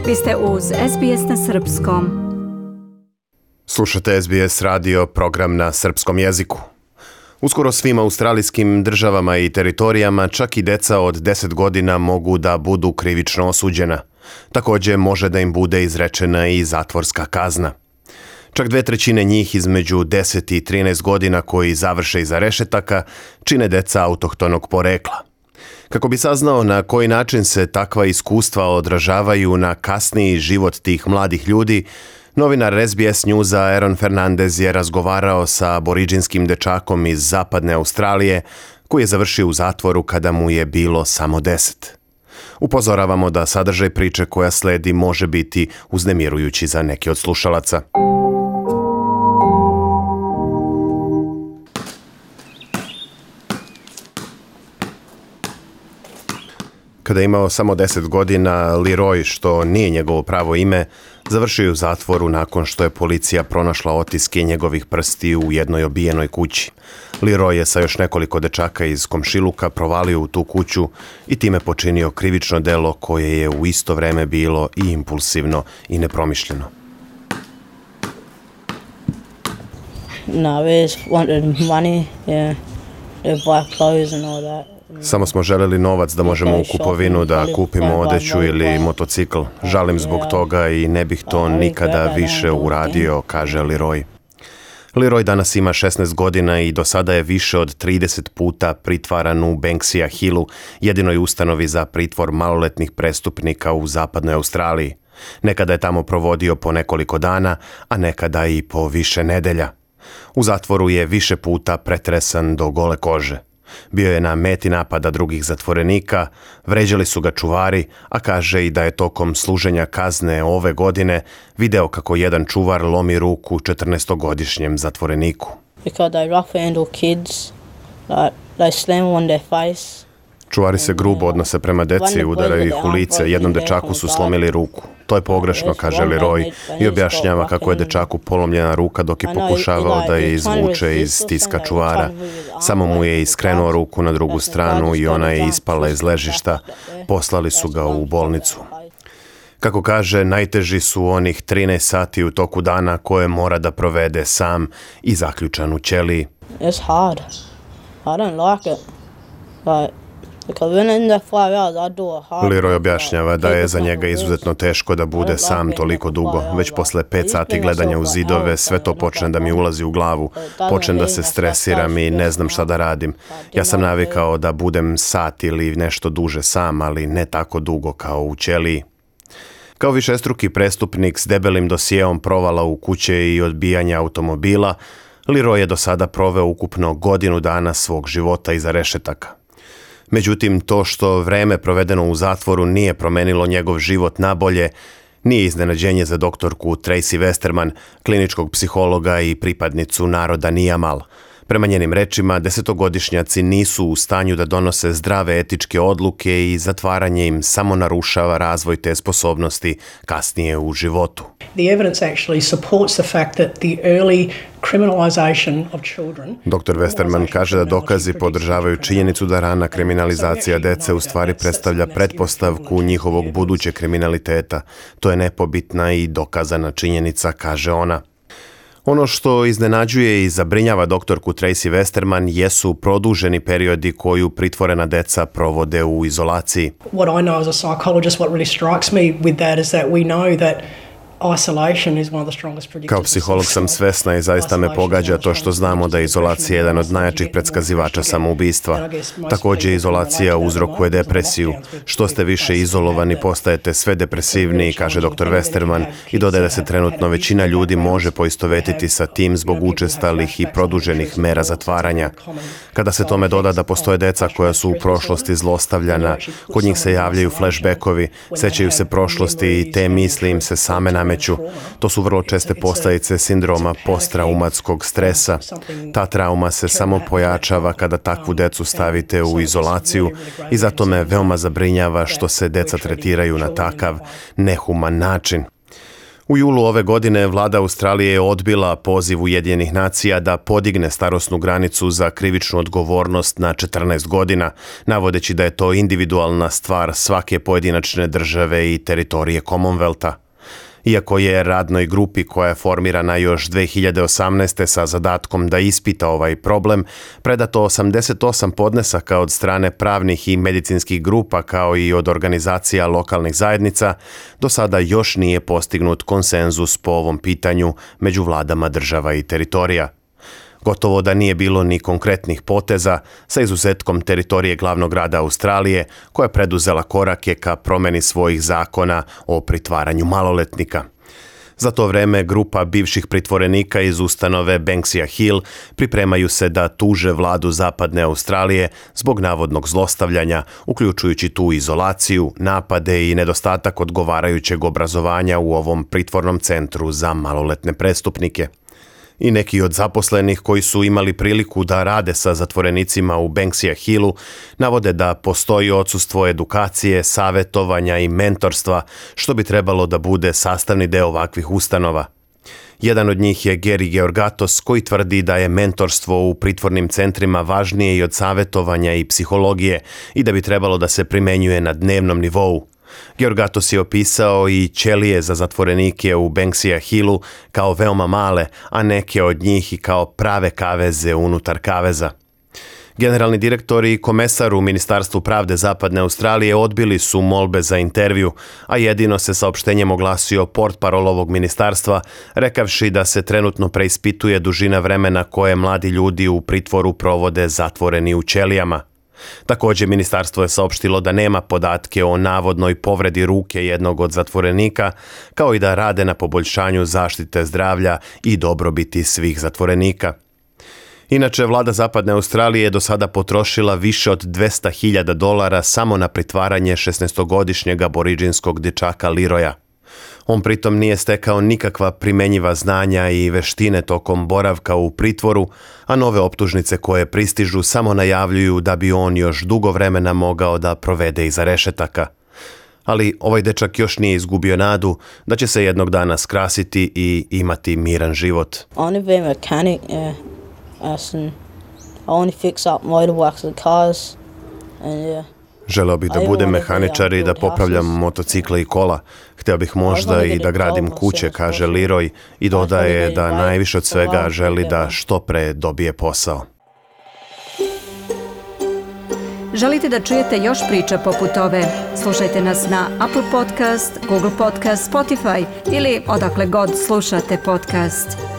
Vi ste uz SBS na Srpskom. Slušate SBS radio, program na srpskom jeziku. Uskoro svim australijskim državama i teritorijama čak i deca od 10 godina mogu da budu krivično osuđena. Također može da im bude izrečena i zatvorska kazna. Čak 2/3 njih između 10 i 13 godina koji završe iza rešetaka čine deca autohtonog porekla. Kako bi saznao na koji način se takva iskustva odražavaju na kasniji život tih mladih ljudi, novinar SBS Newsa Aaron Fernandez je razgovarao sa aboriđinskim dečakom iz zapadne Australije koji je završio u zatvoru kada mu je bilo samo 10. Upozoravamo da sadržaj priče koja sledi može biti uznemirujući za neke od slušalaca. Kada je imao samo 10 godina, Leroy, što nije njegovo pravo ime, završio je u zatvoru nakon što je policija pronašla otiske njegovih prstiju u jednoj obijenoj kući. Leroy je sa još nekoliko dečaka iz komšiluka provalio u tu kuću i time počinio krivično delo koje je u isto vreme bilo i impulsivno i nepromišljeno. No, we just wanted money, yeah, to buy clothes and all that. Samo smo želeli novac da možemo u kupovinu da kupimo odeću ili motocikl. Žalim zbog toga i ne bih to nikada više uradio, kaže Leroy. Leroy danas ima 16 godina i do sada je više od 30 puta pritvaran u Banksia Hillu, jedinoj ustanovi za pritvor maloletnih prestupnika u zapadnoj Australiji. Nekada je tamo provodio po nekoliko dana, a nekada i po više nedelja. U zatvoru je više puta pretresan do gole kože. Bio je na meti napada drugih zatvorenika, vređali su ga čuvari, a kaže i da je tokom služenja kazne ove godine video kako jedan čuvar lomi ruku 14-godišnjem zatvoreniku. Because they rough handle kids, like they slam on their face. Čuvari se grubo odnose prema deci i udaraju ih u lice. Jednom dečaku su slomili ruku. To je pogrešno, kaže Leroy i objašnjava kako je dečaku polomljena ruka dok je pokušavao da je izvuče iz stiska čuvara. Samo mu je iskrenuo ruku na drugu stranu i ona je ispala iz ležišta. Poslali su ga u bolnicu. Kako kaže, najteži su onih 13 sati u toku dana koje mora da provede sam i zaključan u ćeliji. It's hard. I don't like it. Leroy objašnjava da je za njega izuzetno teško da bude sam toliko dugo. Već posle 5 sati gledanja u zidove sve to počne da mi ulazi u glavu. Počnem da se stresiram i ne znam šta da radim. Ja sam navikao da budem sat ili nešto duže sam, ali ne tako dugo kao u ćeliji. Kao višestruki prestupnik s debelim dosijeom provala u kuće i odbijanja automobila, Leroy je do sada proveo ukupno godinu dana svog života iza rešetaka. Međutim, to što vreme provedeno u zatvoru nije promenilo njegov život nabolje, nije iznenađenje za doktorku Tracy Westerman, kliničkog psihologa i pripadnicu naroda Nijamal. Prema njenim rečima, 10-godišnjaci nisu u stanju da donose zdrave etičke odluke i zatvaranje im samo narušava razvoj te sposobnosti kasnije u životu. Dr. Westerman kaže da dokazi podržavaju činjenicu da rana kriminalizacija dece u stvari predstavlja pretpostavku njihovog budućeg kriminaliteta. To je nepobitna i dokazana činjenica, kaže ona. Ono što iznenađuje i zabrinjava doktorku Tracy Westerman jesu produženi periodi koju pritvorena deca provode u izolaciji. What I know as a psychologist, what really strikes me with that is that we know that isolation is one of the strongest predictors. Kao psiholog sam svesna i zaista me pogađa to što znamo da je izolacija jedan od najjačih predskazivača samoubistva. Također izolacija uzrokuje depresiju. Što ste više izolovani, postajete sve depresivniji, kaže dr. Westerman i dodaje da se trenutno većina ljudi može poistovetiti sa tim zbog učestalih i produženih mera zatvaranja. Kada se tome doda da postoje deca koja su u prošlosti zlostavljana, kod njih se javljaju flashbackovi, sećaju se prošlosti i te misli im se same nameću. To su vrlo česte posljedice sindroma posttraumatskog stresa. Ta trauma se samo pojačava kada takvu decu stavite u izolaciju i zato me veoma zabrinjava što se deca tretiraju na takav nehuman način. U julu ove godine vlada Australije je odbila poziv Ujedinjenih nacija da podigne starosnu granicu za krivičnu odgovornost na 14 godina, navodeći da je to individualna stvar svake pojedinačne države i teritorije Commonwealtha. Iako je radnoj grupi koja je formirana još 2018. sa zadatkom da ispita ovaj problem, predato 88 podnesaka od strane pravnih i medicinskih grupa kao i od organizacija lokalnih zajednica, do sada još nije postignut konsenzus po ovom pitanju među vladama država i teritorija. Gotovo da nije bilo ni konkretnih poteza, sa izuzetkom teritorije glavnog grada Australije, koja je preduzela korake ka promeni svojih zakona o pritvaranju maloletnika. Za to vreme grupa bivših pritvorenika iz ustanove Banksia Hill pripremaju se da tuže vladu Zapadne Australije zbog navodnog zlostavljanja, uključujući tu izolaciju, napade i nedostatak odgovarajućeg obrazovanja u ovom pritvornom centru za maloletne prestupnike. I neki od zaposlenih koji su imali priliku da rade sa zatvorenicima u Banksia Hillu navode da postoji odsustvo edukacije, savjetovanja i mentorstva, što bi trebalo da bude sastavni deo ovakvih ustanova. Jedan od njih je Gary Georgatos, koji tvrdi da je mentorstvo u pritvornim centrima važnije i od savjetovanja i psihologije i da bi trebalo da se primenjuje na dnevnom nivou. Georgatos je opisao i ćelije za zatvorenike u Banksia Hillu kao veoma male, a neke od njih i kao prave kaveze unutar kaveza. Generalni direktor i komesar u Ministarstvu pravde Zapadne Australije odbili su molbe za intervju, a jedino se saopštenjem oglasio portparol ovog ministarstva, rekavši da se trenutno preispituje dužina vremena koje mladi ljudi u pritvoru provode zatvoreni u ćelijama. Također, ministarstvo je saopštilo da nema podatke o navodnoj povredi ruke jednog od zatvorenika, kao i da rade na poboljšanju zaštite zdravlja i dobrobiti svih zatvorenika. Inače, vlada Zapadne Australije je do sada potrošila više od $200,000 samo na pritvaranje 16-godišnjeg aboriđinskog dječaka Leroya. On pritom nije stekao nikakva primenjiva znanja i veštine tokom boravka u pritvoru, a nove optužnice koje pristižu samo najavljuju da bi on još dugo vremena mogao da provede iza rešetaka. Ali ovaj dečak još nije izgubio nadu da će se jednog dana skrasiti i imati miran život. Only be a mechanic, I only fix up motorbikes and cars, and Želeo bih da budem mehaničar i da popravljam motocikle i kola. Htio bih možda i da gradim kuće, kaže Leroy, i dodaje da najviše od svega želi da što pre dobije posao. Želite da čujete još priča poput ove? Slušajte nas na Apple Podcast, Google Podcast, Spotify ili odakle god slušate podcast.